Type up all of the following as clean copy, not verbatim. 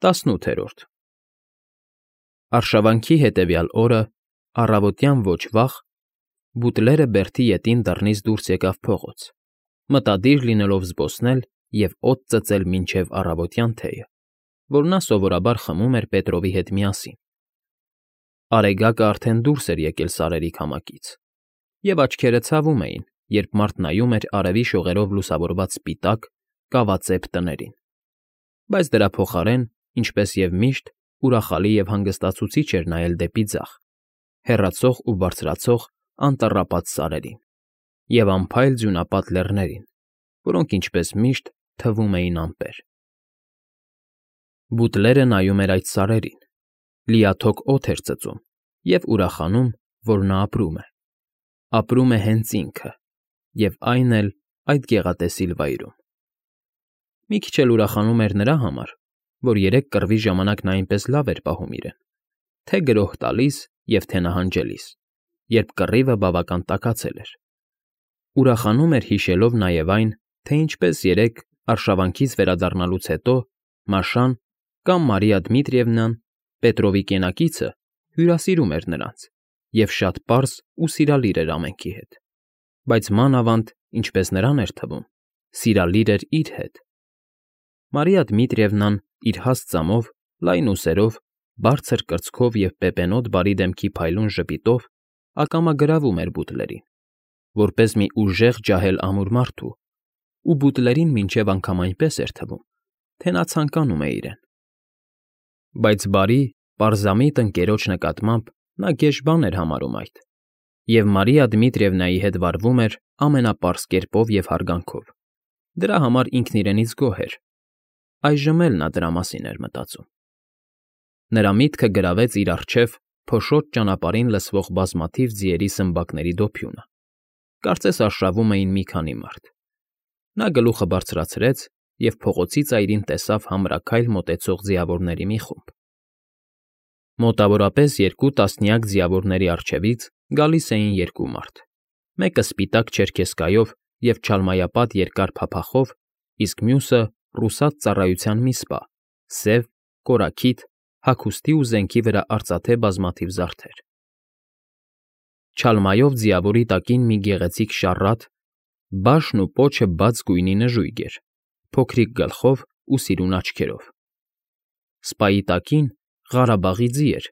18-րդ Արշավանքի հետևյալ օրը, առավոտյան ոչ վաղ, բուտլերը Բերթի ետին դռնից դուրս եկավ փողոց, մտադիր լինելով զբոսնել և օդ ծծել մինչև առավոտյան թեյը, որ նա սովորաբար խմում էր Պետրովի հետ միասին։ Արեգակը արդեն դուրս էր եկել սարերի քամակից, և աչքերը ցավում էին, երբ մարդ նայում էր արևի շողերով լուսավորված սպիտակ, կավածեպ տներին, բայց դրա փոխարեն, ինչպես և միշտ, ուրախալի և հանգստացուցիչ էր նայել դեպի ձախ, հեռացող ու բարձրացող անտառապատ սարերին և անփայլ ձյունապատ լեռներին, որոնք, ինչպես միշտ, թվում էին ամպեր։ Բուտլերը նայում էր այդ սարերին, լիաթոք օդ էր ծծում և ուրախանում, որ նա ապրում է։ Ապրում է հենց ինքը, և այն էլ այդ գեղատեսիլ վայրում։ Մի քիչ էլ ուրախանում էր նրա համար, որ երեկ կռվի ժամանակ նա այնպես լավ էր պահում իրեն, թե գրոհ տալիս և թե նահանջելիս, երբ կռիվը բավական տաքացել էր։ Ուրախանում էր հիշելով նաև այն, թե ինչպես երեկ, արշավանքից վերադառնալուց հետո, Մաշան կամ Մարիա Դմիտրիևնան, Պետրովի կենակիցը, հյուրասիրում էր նրանց և շատ պարզ ու սիրալիր էր ամենքի հետ, բայց մանավանդ, ինչպես նրան էր թվում, սիրալիր էր իր հետ։ Մարիա Դմիտրիևնան իր հաստ ծամով, լայն ուսերով, բարձր կրծքով և պեպենոտ բարի դեմքի փայլուն ժպիտով ակամա գրավում էր բուտլերին, որպես մի ուժեղ ջահել ամուր մարդու, ու բուտլերին մինչև անգամ այնպես էր թվում, թե նա ցանկանում է իրեն։ Բայց բարի, պարզամիտ ընկերոջ նկատմամբ նա գեշ բան էր համարում այդ, և Մարիա Դմիտրիևնայի հետ վարվում էր ամենապարզ կերպով և հարգանքով։ Դրա համար ինքն իրենից գոհ էր։ Այժմ էլ նա դրա մասին էր մտածում։ Նրա միտքը գրավեց իր առջև փոշոտ ճանապարհին լսվող բազմաթիվ ձիերի սմբակների դոփյունը, կարծես արշավում էին մի քանի մարդ։ Նա գլուխը բարձրացրեց և փողոցի ծայրին տեսավ համրաքայլ մոտեցող ձիավորների մի խումբ։ Մոտավորապես 2 ձիավորների առջևից գալիս էին 2 մարդ, մեկը սպիտակ չերքեզկայով և չալմայապատ երկար փափախով, իսկ մյուսը ռուսաց ծառայության մի սպա, սև, կորաքիթ, հագուստի ու զենքի վրա արծաթե բազմաթիվ զարդեր։ Չալմայով ձիավորի տակին մի գեղեցիկ շառատ, բաշն ու պոչը բաց գույնի նժույգ էր, փոքրիկ գլխով ու սիրուն աչքերով։ Սպայի տակին Ղարաբաղի ձի էր,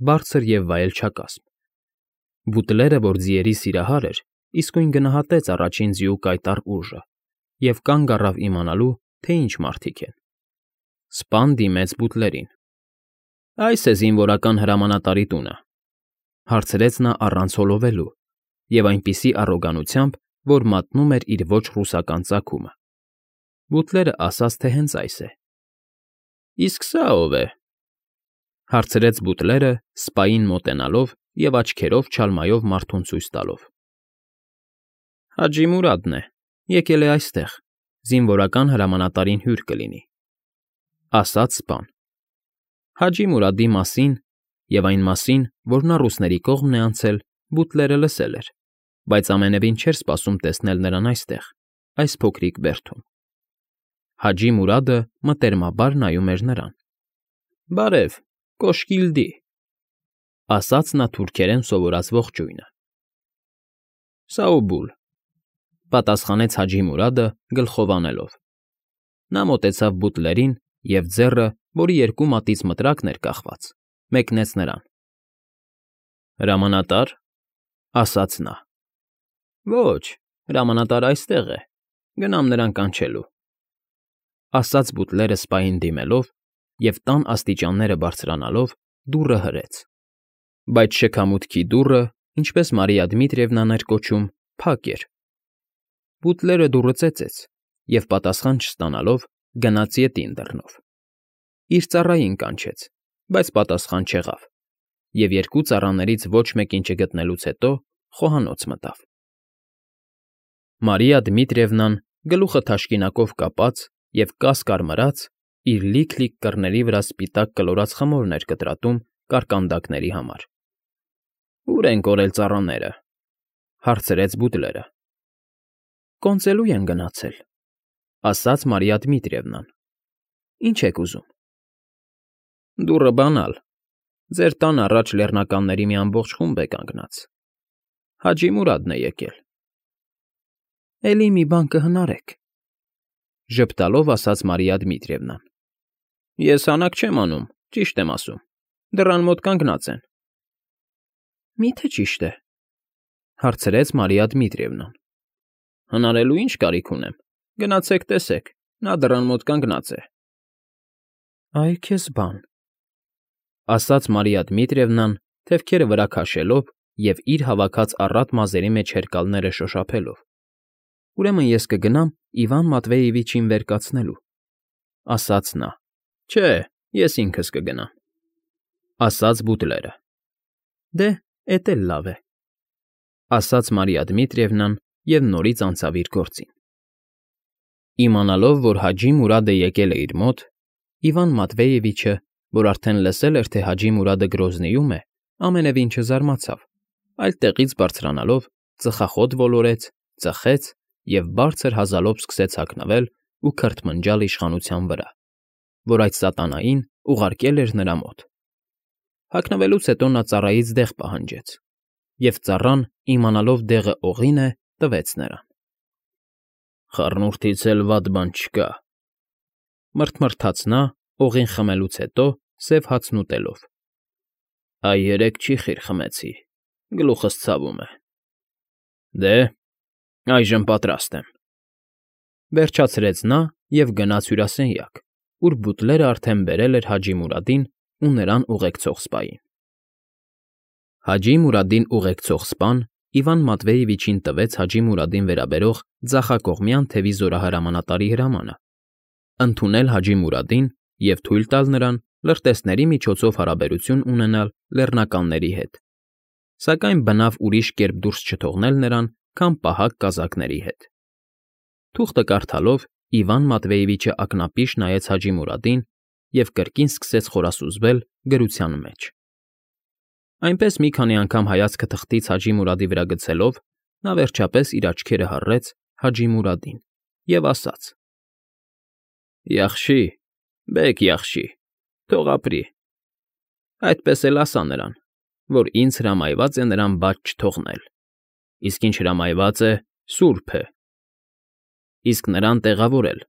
բարձր և վայելչակազմ։ Բուտլերը, որ ձիերի սիրահար էր, իսկույն գնահատեց առաջին ձիու կայտառ ուժը և կանգ առավ իմանալու, թե ինչ մարդիկ են։ Սպան դիմեց բուտլերին։ ֊ Այս է զինվորական հրամանատարի տունը, ֊ հարցրեց նա առանց հոլովելու և այնպիսի առոգանությամբ, որ մատնում էր իր ոչ ռուսական ծագումը։ Բուտլերն ասաց, թե հենց այս է։ ֊ Իսկ սա ո՞վ է, ֊ հարցրեց բուտլերը, սպային մոտենալով և աչքերով չալմայով մարդուն ցույց տալով։ ֊ Հաջի Մուրադն է, եկել է այստեղ, զինվորական հրամանատարին հյուր կլինի, ֊ ասաց սպան։ Հաջի Մուրադի մասին և այն մասին, որ նա ռուսների կողմն է անցել, բուտլերը լսել էր, բայց ամենևին չէր սպասում տեսնել նրան այստեղ, այս փոքրիկ բերդում։ Հաջի Մուրադը մտերմաբար նայում էր նրան։ ֊ Բարև, կոշկիլդի, ֊ ասաց նա թուրքերեն սովորած ողջույնը։ ֊ Սաուբուլ, ֊ պատասխանեց Հաջի Մուրադը գլխով անելով։ Նա մոտեցավ բուտլերին և ձեռը, որի 2 մատից մտրակն էր կախված, մեկնեց նրան։ ֊ Հրամանատա՞ր, ֊ ասաց նա։ ֊ Ոչ, հրամանատարը այստեղ է, գնամ նրան կանչելու, ֊ ասաց բուտլերը սպային դիմելով և տան աստիճանները բարձրանալով դուռը հրեց։ Բայց շքամուտքի դուռը, ինչպես Մարիա Դմիտրիևնան էր կոչում, փակ էր։ Բուտլերը դուռը ծեծեց և, պատասխան չստանալով, գնաց ետին դռնով։ Իր ծառային կանչեց, բայց պատասխան չեղավ, և 2 ծառաներից ոչ մեկին չգտնելուց հետո խոհանոց մտավ։ Մարիա Դմիտրիևնան, գլուխը թաշկինակով կապած և կաս կարմրած, իր լիք-լիք կռների վրա սպիտակ կլորած խմորն էր կտրատում կարկանդակների համար։ ֊ Ո՞ւր են կորել ծառաները, ֊ հարցրեց բուտլերը։ ֊ Կոնծելու են գնացել, ֊ ասաց Մարիա Դմիտրիևնան։ ֊ Ինչ եք ուզում։ Դուռը բանալ։ Ձեր տան առաջ լեռնականների մի ամբողջ խումբ է կանգնած։ Հաջի Մուրադն է եկել։ ֊ Էլի մի բան կհնարեք,֊ ժպտալով ասաց Մարիա Դմիտրիևնան։ ֊ Ես հանակ չեմ անում, ճիշտ եմ ասում, դռան մոտ կանգնած են։ ֊ Մի՞թե ճիշտ է,֊ հարցրեց Մարիա Դմիտրիևնան։ ֊ Հնարելու ինչ կարիք ունեմ, գնացեք տեսեք, նա դռան մոտ կանգնած է։ ֊ Այ քեզ բան,֊ ասաց Մարիա Դմիտրիևնան, թևքերը վրա քաշելով և իր հավաքած առատ մազերի մեջ հերկալները շոշափելով։ ֊ Ուրեմն ես կգնամ Իվան Մատվեևիչին վեր կացնելու,֊ ասաց նա։ ֊ Չէ, ես ինքս կգնամ,֊ ասաց բուտլերը։ ֊ Դե, էդ էլ լավ է,֊ ասաց Մարիա Դմիտրիևնան և նորից անցավ իր գործին։ Իմանալով, որ Հաջի Մուրադը եկել է իր մոտ, Իվան Մատվեևիչը, որ արդեն լսել էր, թե Հաջի Մուրադը Գրոզնիում է, ամենևին չզարմացավ, այլ տեղից բարձրանալով ծխախոտ ոլորեց, ծխեց և բարձր հազալով սկսեց հագնվել ու քրթմնջալ իշխանության վրա, որ այդ սատանային ուղարկել էր նրա մոտ։ Հագնվելուց հետո նա ծառայից դեղ պահանջեց, և ծառան, իմանալով դեղը օղին է, տվեց նրան։ ֊ Խառնուրդից էլ վատ բան չկա,֊ մռթմռթաց նա, օղին խմելուց հետո սև հացն ուտելով։ ֊ Այ երեկ չի խիր խմեցի, գլուխս ցավում է։ ֊ Դե, այժմ պատրաստ եմ,֊ վերջացրեց նա և գնաց հյուրասենյակ, ուր բուտլերը արդեն բերել էր Հաջի Մուրադին ու նրան ուղեկցող սպային։ Հաջի Մուրադին ուղեկցող սպան Իվան Մատվեևիչին տվեց Հաջի Մուրադին վերաբերող ձախակողմյան թևի զորահրամանատարի հրամանը, ընդունել Հաջի Մուրադին և թույլ տալ նրան լրտեսների միջոցով հարաբերություն ունենալ լեռնականների հետ, սակայն բնավ ուրիշ կերպ դուրս չթողնել նրան, քան պահակ կազակների հետ։ Թուղթը կարդալով Իվան Մատվեևիչը ակնապիշ նայեց Հաջի Մուրադին և կրկին սկսեց խորասուզվել գրության մեջ։ Այնպես մի քանի անգամ հայացքը թղթից Հաջի Մուրադի վրա գցելով, նա վերջապես իր աչքերը հառեց Հաջի Մուրադին և ասաց. «Յախշի, բեկ յախշի, թող ապրի։ Այդպես էլ ասա նրան, որ ինձ հրամայված է նրան բաց չթողնել, իսկ ինչ հրամայված է, սուրբ է։ Իսկ նրան տեղավորել,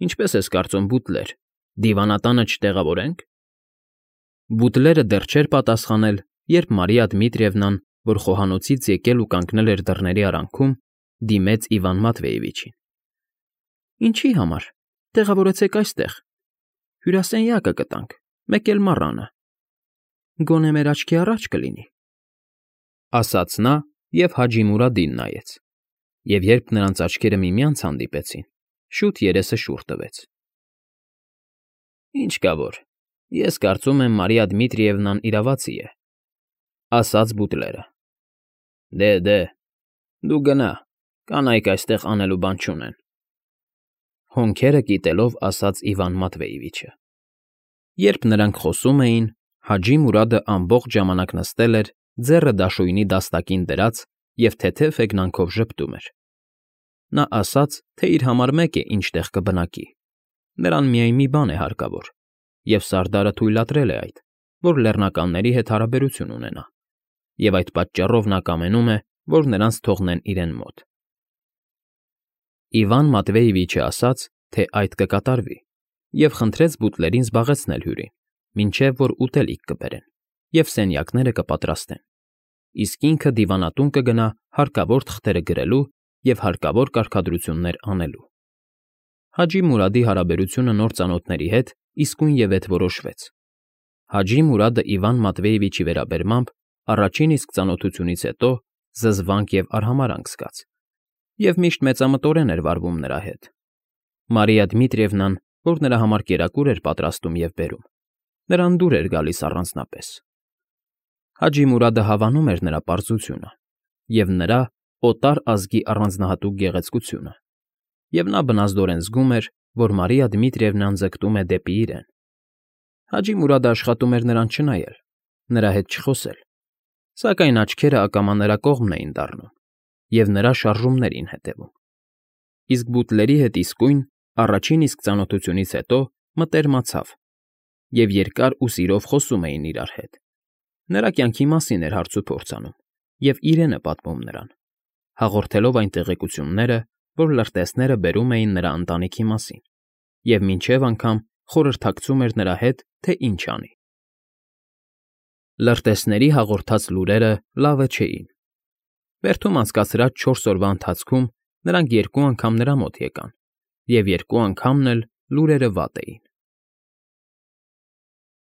ինչպես ես կարծում, բուտլեր, դիվանատանը չտեղավորենք»։ Բուտլերը դեռ չէր պատասխանել, երբ Մարիա Դմիտրիևնան, որ խոհանոցից եկել ու կանգնել էր դռների արանքում, դիմեց Իվան Մատվեևիչին։ ֊ Ինչի համար, տեղավորեցեք այստեղ, հյուրասենյակը կտանք, մեկ էլ մառանը, գոնե մեր աչքի առաջ կլինի,֊ ասաց նա և Հաջի Մուրադին նայեց, և երբ նրանց աչքերը միմյանց հանդիպեցին, շուտ երեսը շուռ տվեց։ ֊ Ինչ կա որ, ես կարծում եմ Մարիա Դմիտրիևնան իրավացի է,֊ ասաց բուտլերը։ Դե, դու գնա, կանայք այստեղ անելու բան չունեն,֊ հոնքերը կիտելով ասաց Իվան Մատվեևիչը։ Երբ նրանք խոսում էին, Հաջի Մուրադը ամբողջ ժամանակ նստել էր, ձեռը դաշույնի դաստակին դրած և թեթև հեգնանքով ժպտում էր։ Նա ասաց, թե իր համար մեկ է ինչ տեղ կբնակի, նրան միայն մի բան է հարկավոր, և Սարդարը թույլատրել է այդ, որ լեռնականների հետ հարաբերություն ունենա, և այդ պատճառով նա կամենում է, որ նրանց թողնեն իրեն մոտ։ Իվան Մատվեևիչը ասաց, թե այդ կկատարվի, և խնդրեց բուտլերին զբաղեցնել հյուրին, մինչև որ ուտելիք կբերեն, և սենյակները կպատրաստեն, իսկ ինքը դիվանատուն կգնա հարկավոր թղթերը գրելու և հարկավոր կարգադրություններ անելու։ Հաջի Մուրադի հարաբերությունը նոր ծանոթների հետ իսկույնևեթ որոշվեց։ Հաջի Մուրադը Իվան Մատվեևիչի վերաբերմամբ առաջին իսկ ծանոթությունից հետո զզվանք և արհամարհանք զգաց, և միշտ մեծամտորեն էր վարվում նրա հետ։ Մարիա Դմիտրիևնան, որ նրա համար կերակուր էր պատրաստում և բերում, նրան դուր էր գալիս առանձնապես։ Հաջի Մուրադը հավանում էր նրա պարզությունը և նրա օտար ազգի առանձնահատուկ գեղեցկությունը, և նա բնազդորեն զգում էր, որ Մարիա Դմիտրիևնան ձգտում է դեպի իրեն։ Հաջի Մուրադը աշխատում էր նրան չնայել, նրա հետ չխոսել, սակայն աչքերը ակամա նրա կողմն էին դառնում և նրա շարժումներին հետևում։ Իսկ բուտլերի հետ իսկույն, առաջին իսկ ծանոթությունից հետո մտերմացավ և երկար ու սիրով խոսում էին իրար հետ. նրա կյանքի մասին էր հարց ու փորձ անում և իրենը պատմում նրան, հաղորդելով այն տեղեկությունները, որ լրտեսները բերում էին նրա ընտանիքի մասին, և մինչև անգամ խորհրդակցում էր նրա հետ, թե ինչ անի։ Լրտեսների հաղորդած լուրերը լավը չէին։ Բերդում անցկացրած 4 օրվա ընթացքում նրանք 2 անգամ նրա մոտ եկան, և 2 անգամն էլ լուրերը վատ էին։